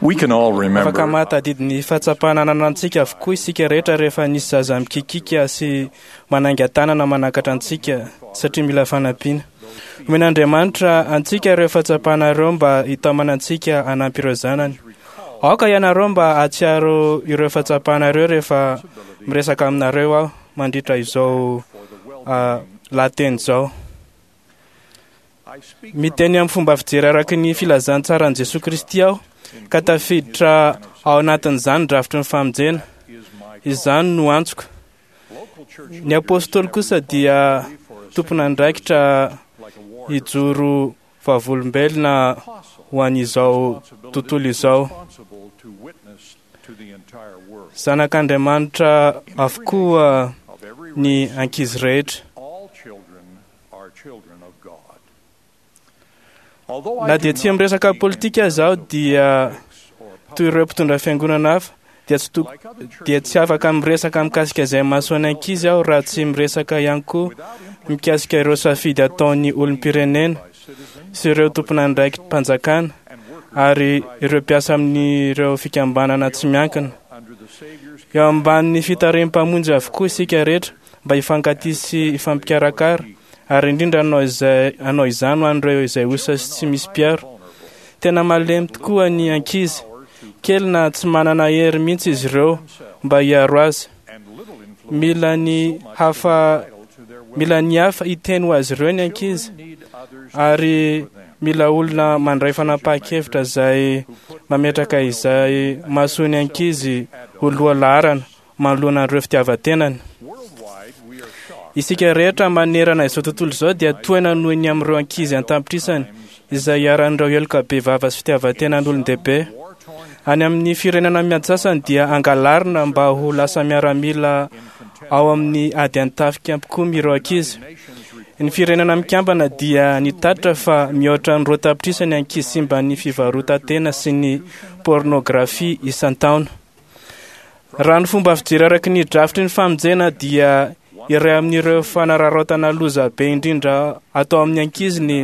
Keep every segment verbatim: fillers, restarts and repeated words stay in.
We can all remember Afaka mahatadidy ny fahatsapana ananantsika avokoa isika rehetra rehefa nisy zaza mikikika sy manainga tanana manakatra antsika satria mila fanampiana. Omen'Andriamanitra antsika ireo fahatsapana ireo mba hitaomana antsika hanampy ireo zanany. Aoka ianareo mba hahatsiaro ireo fahatsapana ireo rehefa miresaka aminareo aho mandritra izao ah, lahateny izao. Miteny amin'ny fomba fijery araka ny filazantsaran'i Jesoa Kristy aho ka tafiditra ao anatin'izany drafitry ny famonjena. Izany no antsoko. Ny apôstôly kosa dia tompon'andraikitra hijoro vavolombelona ho an'izao tontolo izao. Zanak'Andriamanitra avokoa ny ankizy rehetra. All children are children of God. Although I Na do dia tsy not miresaka speak in politika aza aho terms of dia politics or toy ireo mpitondra fiangonana hafa dia tsy to- dia tsy afaka miresaka mikasika izay mahasoa ny ankizy aho raha tsy miresaka ihany koa mikasika ireo safidy ataon'ny olom-pirenena sy ireo tompon'andraiki-panjakana ary ireo mpiasa amin'ireo fikambanana tsy miankina. under the Savior's Eo ambanin'ny fitarihan'ny-mpamonjy avokoa isika rehetra mba hifankatia sy hifampikarakara ary indrindra hanao izay hanao izany ho an'ireo izay osa sy tsy misy mpiaro. Tena malemy tokoa ny ankizy, kely na tsy manana hery mihitsy izy ireo mba hiaro azy. and little influence Mila ny hafa mila ny hafa hiteny ho azy ireo ny ankizy need others ary mila olona mandray fanapahan-kevitra izay mametraka izay mahasoa ny ankizy ho loha laharana manoloana ireo fitiavan-tenany. worldwide. We are shocked Isika rehetra manerana izao tontolo izao dia tohina noho ny amin'ireo ankizy an-tapitrisany izay iharan'ireo heloka bevava sy fitiavan-tenan'olon-dehibe. war-torn Any amin'ny firenena miady sasany dia angalarina mba ho lasa miaramila ao amin'ny ady an-tafika mpikomy ireo ankizy. nations Ny firenena mikambana dia nitatitra fa mihoatra ny roa tapitrisa ny ankizy simban'ny fivarotan-tena sy ny pornografia isan-taona. Raha ny fomba fijery araka ny drafitry ny famonjena dia iray amin'ireo fanararaotana loza be indrindra atao amin'ny ankizy ny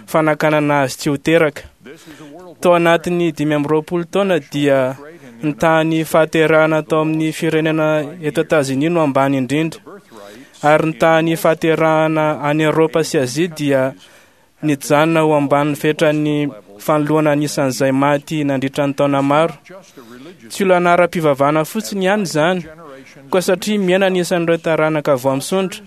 fanakanana azy tsy ho teraka. This is a world Tao anatin'ny dimy amby roapolo taona dia ny tahan'ny fahaterahana tao amin'ny firenena eto Etazonia no ambany indrindra birthrights ary ny tahan'ny fahaterahana any Eoropa sy Azia dia nijanona ho ambanin'ny fetran'ny fanoloana anisan'izay maty nandritra ny taona maro. just a religious Tsy olana ara-pivavahana fotsiny ihany izany, generation koa satria mihena ny isan'ireo taranaka vao misondrotra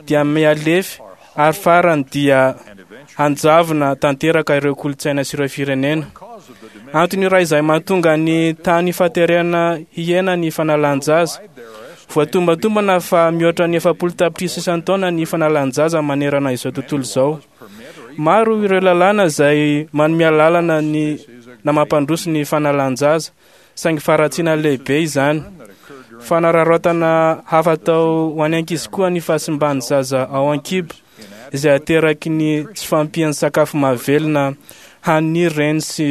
dia mihalefy ary farany dia and eventually hanjavona tanteraka ireo kolontsaina sy ireo firenena. cause of the diminishing Antony iray izay mahatonga ny tany fahaterehana hihena ny fanalan-jaza. their estimate Voatombatombana fa mihoatra ny efapolo tapitrisa isan-taona ny fanalan-jaza manerana izao tontolo izao. permit or Maro ireo lalàna izay manome alalana ny na mampandroso ny fanalan-jaza, saingy faharatsiana lehibe izany. that occurred during Fanararaotana hafa atao ho an'ny ankizy koa ny fahasimban'ny zaza ao an-kibo, izay ateraky ny tsy fahampian'ny sakafo mahavelona hanin'ny reny sy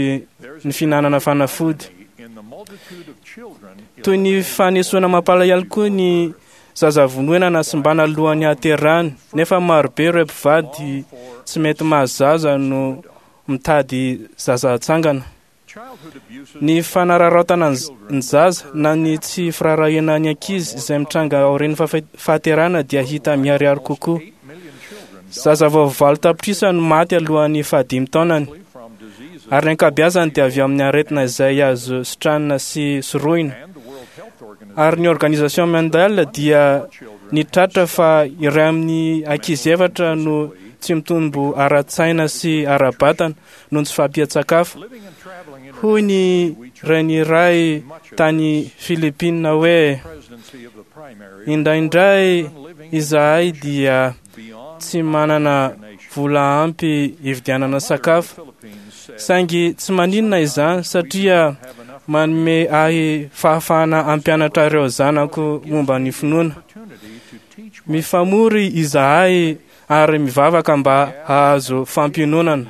ny fihinanana fanafody. in the multitude of children Toy ny fanesoana mampalahelo koa ny zaza vonoina na simbana alohan'ny haterahany, nefa marobe ireo mpivady tsy mety mahazo zaza no mitady zaza hatsangana. childhood abuses Ny fanararaotana ny z- ny zaza na ny tsy firaharahiana ny ankizy izay mitranga aorian'ny fahafa- fahaterahana dia hita miharihary kokoa. eight million children Zaza vao valo tapitrisa no maty alohan'ny fahadimy taonany die from diseases ary ny ankabeazany dia avy amin'ny aretina izay azo sitranina sy sorohina. and the World Health Organization Ary ny Organisation Mondiale dia children nitratra fa iray amin'ny ankizy efatra no tsy mitombo ara-tsaina sy ara-batana noho ny tsy fahampian-tsakafo. living and traveling Hoy ny reny iray tany Filipina hoe presidency of the primary indraindray izahay dia beyond tsy manana vola ampy hividianana sakafo Philippines said saingy tsy maninona izany satria have enough manome ahy fahafahana hampianatra ireo zanako momba ny finoana. opportunity to teach Mifamory izahay ary mivavaka mba hahazo fampiononana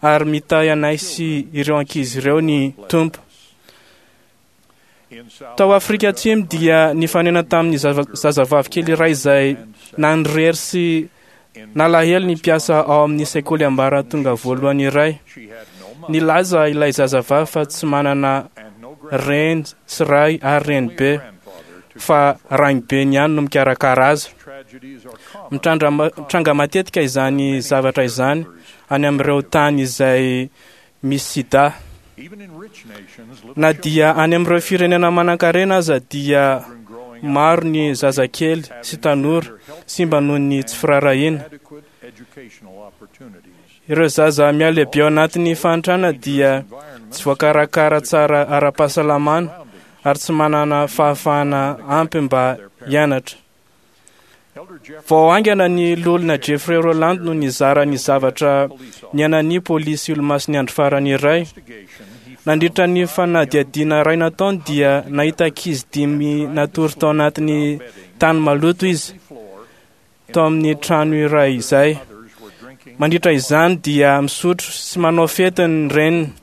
ary mitahy anay sy ireo ankizy ireo ny Tompo. in South Tao Afrika Atsimo dia nifanena tamin'ny zava- zazavavy kely iray izay nanirery sy nalahelo ny mpiasa ao amin'ny sekoly ambaratonga voalohany iray. she had no money Nilaza ilay zazavavy fa tsy manana and no reny sy ray ary renibe, fa rainibe ihany no mikarakara azy. Mitranga matetika izany zavatra izany any amin'ireo tany izay misy sida. Na dia any amin'ireo firenena manankarena aza dia maro ny zazakely sy tanora simba noho ny tsy firaharahiana. Ireo zaza mialehibe ao anatin'ny fahantrana dia tsy voakarakara tsara ara-pahasalamana ary tsy manana fahafahana ampy mba hianatra. Vao haingana ny loholona Jeffrey Roland no nizara ny zavatra niainan'ny polisy olomasin'ny andro farany iray. Nandritra ny fanadihadiana iray nataony dia nahita ankizy dimy natory tao anatin'ny tany maloto izy tao amin'ny trano iray izay. Mandritra izany dia misotro sy manao fety ny reniny.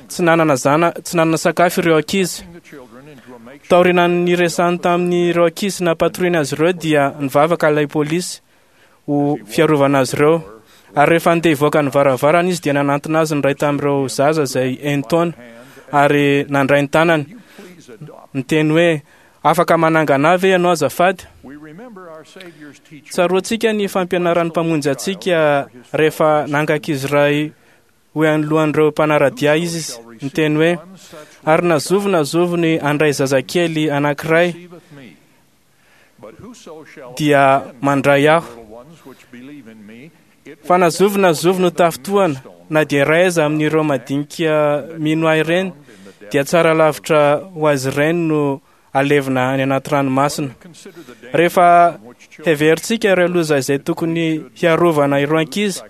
Tsy nanana zana, tsy nanana sakafo ireo ankizy. Taorian'ny niresahany tamin'ireo ankizy sy nampatoriana azy ireo dia nivavaka ilay polisy ho fiarovana azy ireo. Ary rehefa handeha hivoaka ny varavarana izy dia nanantona azy ny iray tamin'ireo zaza izay enin-taona ary nandray ny tanany niteny hoe: afaka manangana ahy ve ianao azafady? Tsaroantsika ny fampianaran'ny mpamonjy antsika rehefa nanga ankizy iray ho anoloan'ireo mpanara-dia izy niteny hoe: ary na zovy na zovy ny handray zazakely anankiray dia mandray aho. Fa na zovy na zovy no tafintohana na dia iray aza amin'ireo madinika mino ahy ireny dia tsara lavitra ho azy ireny no alevina any anaty ranomasina. Rehefa heverintsika ireo loza izay tokony hiarovana ireo ankizy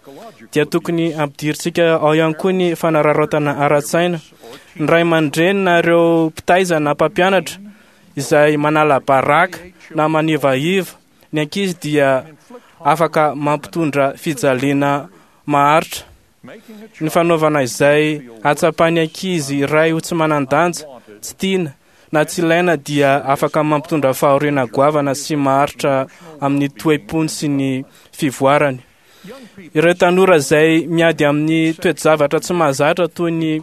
dia tokony ampidirintsika ao ihany koa ny fanararaotana ara-tsaina. Ny ray aman-dreny na ireo mpitaiza na mpampianatra izay manala baraka na manivaiva ny ankizy dia afaka mampitondra fijaliana maharitra. Ny fanaovana izay hatsapan'ny ankizy iray ho tsy manan-danja, tsy tiana na tsy ilaina dia afaka mampitondra fahoriana goavana sy maharitra amin'ny toe-pony sy ny fivoarany. Ireo tanora izay miady amin'ny toe-javatra tsy mahazatra toy ny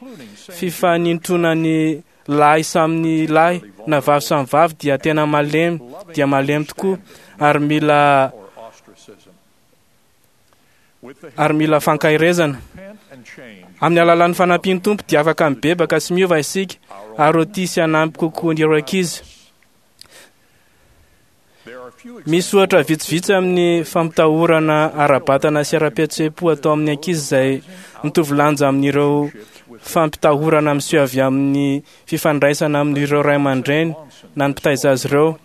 fifanintronan'ny lahy samy lahy na vavy samy vavy dia tena malemy dia malemy tokoa ary mila ary mila fankaherezana. Amin'ny alalan'ny fanampian'ny Tompo dia afaka mibebaka sy miova isika ary ho tia sy hanampy kokoa ireo ankizy. Misy ohatra vitsivitsy amin'ny fampitahorana ara-batana sy ara-pihetseham-po atao amin'ny ankizy izay mitovy lanja amin'ireo fampitahorana miseho avy amin'ny fifandraisana amin'ireo ray aman-dreny na ny mpitaiza azy ireo.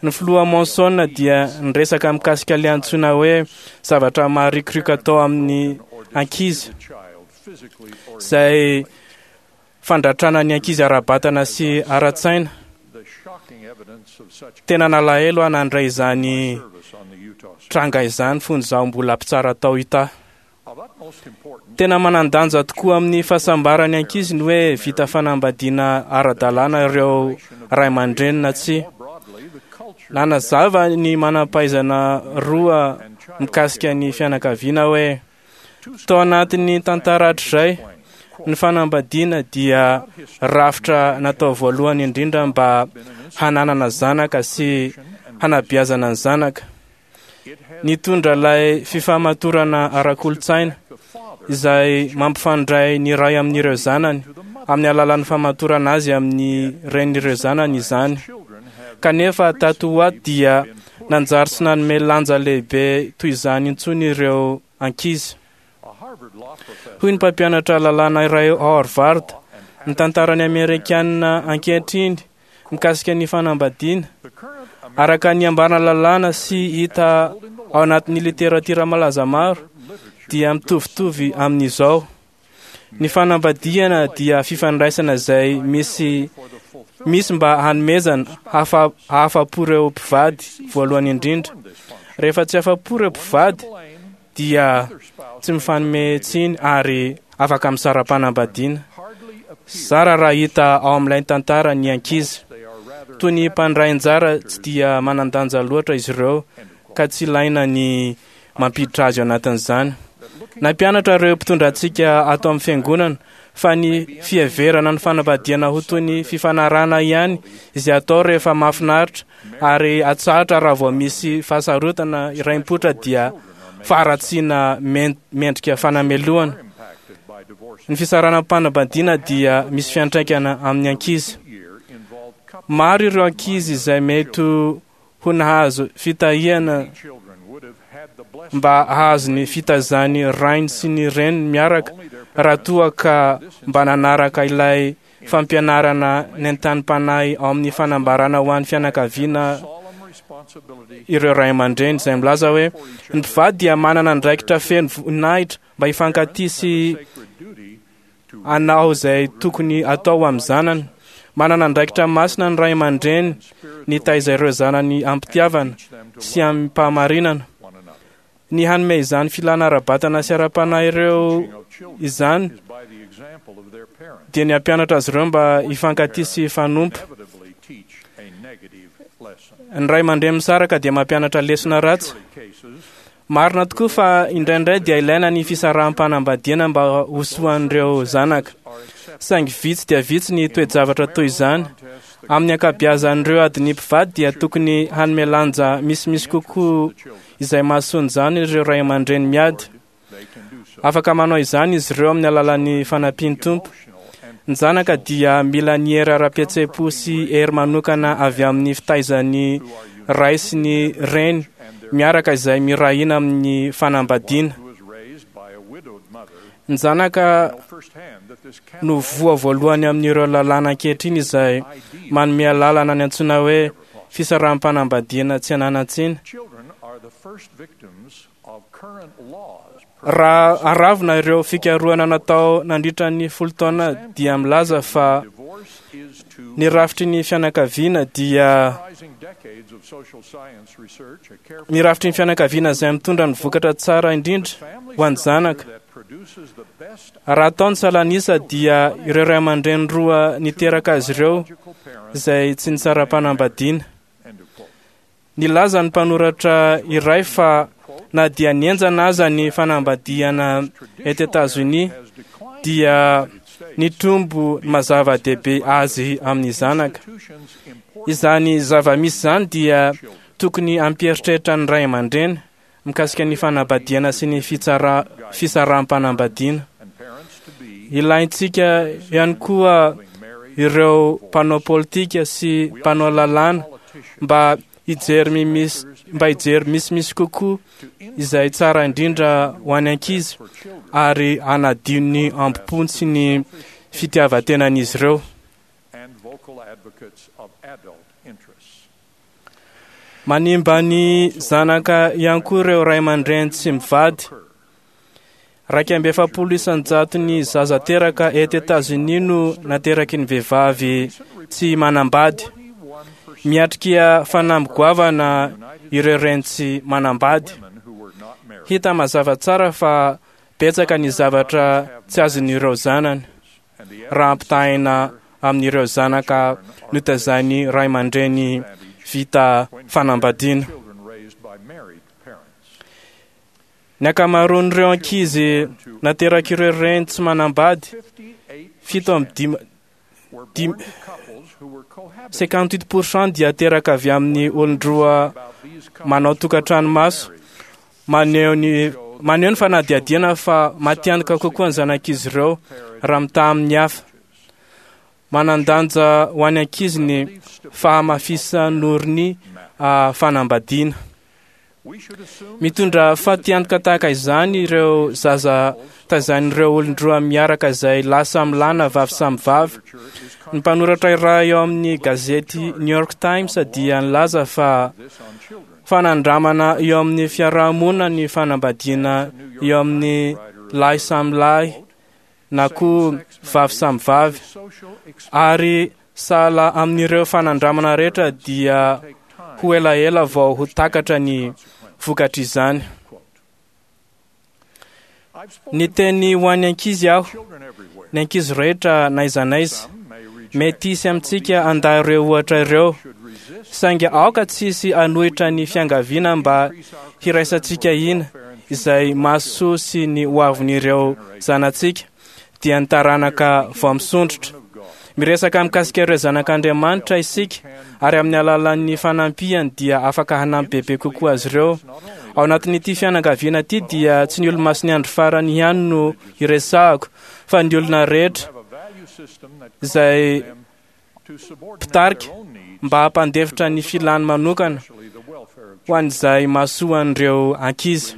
Ny filoha Monson dia niresaka mikasika ilay antsoina hoe zavatra maharikoriko atao amin'ny ankizy izay fandratrana ny ankizy ara-batana sy ara-tsaina. Tena nalahelo aho nandray izany tranga izany fony izaho mbola mpitsara tao Utah. Tena manan-danja tokoa amin'ny fahasambaran'ny ankizy ny hoe vita fanambadiana ara-dalàna ireo ray aman-dreny na tsia. Nanazava ny manam-pahaizana roa mikasika ny fianakaviana hoe tao anatin'ny tantara hatrizay ny fanambadiana dia rafitra natao voalohany indrindra mba hananana zanaka sy hanabeazana ny zanaka. Nitondra ilay fifamatorana ara-kolontsaina izay mampifandray ny ray amin'ireo zanany amin'ny alalan'ny famatorana azy amin'ny renin'ireo zanany izany. Kanefa tato ho ato dia nanjary sy nanome lanja lehibe toy izany intsony ireo ankizy. Hoy ny mpampianatra lalàna iray ao Harvard, ny tantaran'ny Amerikanina ankehitriny mikasika ny fanambadiana araka ny ambarana lalàna sy hita ao anatin'ny literatiora malaza maro dia mitovitovy amin'izao. Ny fanambadiana dia fifandraisana izay misy misy mba hanomezana hahafa-po ireo mpivady voalohany indrindra. Rehefa tsy afa-po ireo mpivady dia tsy mifanome tsiny ary afaka misara-panambadiana. Zara raha hita ao amin'ilay tantara ny ankizy. Toy ny mpandray anjara tsy dia manan-danja loatra izy ireo ka tsy ilaina ny mampiditra azy ao anatin'izany. Nampianatra ireo mpitondra antsika ato amin'ny fiangonana fa ny fiheverana ny fanambadiana ho toy ny fifanarahana ihany izay atao rehefa mahafinaritra ary atsahatra raha vao misy fahasarotana iray mipoitra dia faharatsiana mendrika fanamelohana. Ny fisaraham-panambadiana dia misy fiantraikana amin'ny ankizy. Maro ireo ankizy izay mety ho nahazo fitahiana mba hahazo ny fitaizan'ny rainy sy ny reniny miaraka raha toa ka mba nanaraka ilay fampianarana nentanim-panahy ao amin'ny fanambarana ho an'ny fianakaviana ireo ray aman-dreny izay milaza hoe ny mpivady dia manana andraikitra feno voninahitra mba hifankatia sy hanao izay tokony atao amin'ny zanany. Manana andraikitra masina ny ray aman-dreny nitaiza ireo zanany am-pitiavana sy amim-pahamarinana. Ny hanome izany filana ara-batana sy ara-panahy ireo izany dia ny hampianatra azy ireo mba hifankatia sy hifanompo. Ny ray aman-dreny misaraka dia mampianatra lesona ratsy. Marina tokoa fa indraindray dia ilaina ny fisaraham-panambadiana mba ho soan'ireo zanaka. Saingy vitsy dia vitsy ny toe-javatra toy izany. Amin'ny ankabeazan'ireo adin'ny mpivady dia tokony hanome lanja misimisy kokoa izay mahasoa izany ireo ray aman-dreny miady. Afaka manao izany izy ireo amin'ny alalan'ny fanampian'ny Tompo. Ny zanaka dia mila ny hery ara-pihetseham-po sy hery manokana avy amin'ny fitaizan'ny ray sy ny reny miaraka izay mirahina amin'ny fanambadiana. Ny zanaka no voa voalohany amin'ireo lalàna ankehitriny izay manome alalana ny antsoina hoe fisaraham-panambadiana tsy ananan-tsiny. Raha aravina ireo fikarohana natao nandritra ny folo taona dia milaza fa ny rafitry ny fianakaviana dia ny rafitry ny fianakaviana izay mitondra ny vokatra tsara indrindra ho an'ny zanaka. Raha atao ny salanisa dia ireo ray aman-dreny roa niteraka azy ireo izay tsy nisara-panambadiana. Nilaza ny mpanoratra iray fa na dia nihenjana aza ny fanambadiana eto Etazonia dia nitombo ny mazava-dehibe azy amin'ny zanaka. Izany zava-misy izany dia tokony hampieritreritra ny ray aman-dreny mikasika ny fanambadiana sy ny fitsara fisaraham-panambadiana. Ilaintsika ihany koa ireo mpanao politika sy mpanao lalàna mba hijery mimisy mba hijery misimisy kokoa izay tsara indrindra ho an'ny ankizy ary hanadio ny ambo-pony sy ny fitiavan-tenan'izy ireo. Manimba ny zanaka ihany koa ireo ray aman-dreny tsy mivady. Raika amby efapolo isan-jato ny zaza teraka eto Etazonia no nateraky ny vehivavy tsy manambady. Miatrika fanamby goavana ireo reny tsy manambady. Hita mazava tsara fa betsaka ny zavatra tsy azon'ireo zanany raha ampitahaina amin'ireo zanaka notazain'ny ray aman-dreny vita fanambadiana. Ny ankamaroan'ireo ankizy naterak'ireo reny tsy manambady, fito amby dimy dimy cinquante-huit pour cent dia teraka avy amin'ny olon-droa manao tokantrano maso. Maneho ny maneho ny fanadihadiana fa matiantoka kokoa ny zanak'izy ireo raha mitaha amin'ny hafa. Manan-danja ho an'ny ankizy ny fahamafisan'orony fanambadiana. Mitondra fatiantoka tahaka izany ireo zaza tazain'ireo olon-droa miaraka izay lasa milana vavy samy vavy. Ny mpanoratra iray eo amin'ny gazety New York Times dia nilaza fa fanandramana eo amin'ny fiarahamonina ny fanambadiana eo amin'ny lahy samy lahy na koa vavy samy vavy, ary sahala amin'ireo fanandramana rehetra dia ho elaela vao ho takatra ny vokatr'izany. Ny teny ho an'ny ankizy aho, ny ankizy rehetra n'aiza n'aiza. Mety hisy amintsika handà ireo ohatra ireo, saingy aoka tsy hisy hanohitra ny fiangaviana mba hiraisantsika hina izay mahasoa sy ny hoavin'ireo zanatsika, dia ny taranaka vao misondrotra. Miresaka mikasika ireo zanak'Andriamanitra isika, ary amin'ny alalan'ny fanampiany dia afaka hanampy bebe kokoa azy ireo. Ao anatin'ity fianakaviana ity dia tsy ny olo-masin'ny andro farany ihany no iresahako, fa ny olona rehetra izay mpitarika mba hampandefitra ny filany manokana ho an'izay mahasoan'ireo ankizy.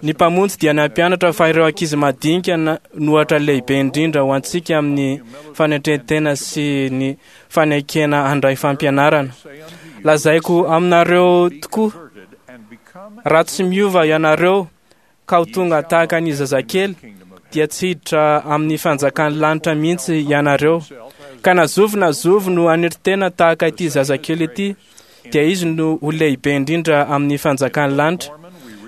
Ny Mpamonjy dia nampianatra fa ireo ankizy madinika no ohatra lehibe indrindra ho antsika amin'ny fanetren-tena sy ny fanekena handray fampianarana. Lazaiko aminareo tokoa, raha tsy miova ianareo ka ho tonga tahaka ny zazakely, dia tsy hiditra amin'ny fanjakan'ny lanitra mihitsy ianareo. Ka na zovy na zovy no hanetry tena tahaka ity zazakely ity, dia izy no ho lehibe indrindra amin'ny fanjakan'ny lanitra.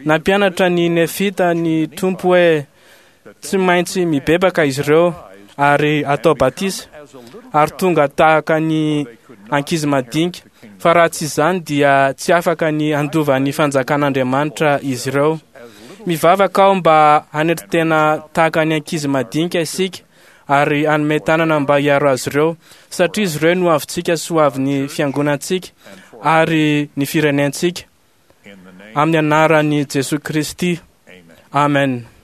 Nampianatra ny Nefita ny Tompo hoe tsy maintsy mibebaka izy ireo ary atao batisa ary tonga tahaka ny ankizy madinika, fa raha tsy izany dia tsy afaka ny handova ny fanjakan'Andriamanitra izy ireo. Mivavaka aho mba hanetry tena tahaka ny ankizy madinika isika ary hanome tanana mba hiaro azy ireo, satria izy ireo no avintsika sy ho avin'ny fiangonantsika ary ny firenentsika. Amin'ny anaran'i Jesoa Kristy. Amen.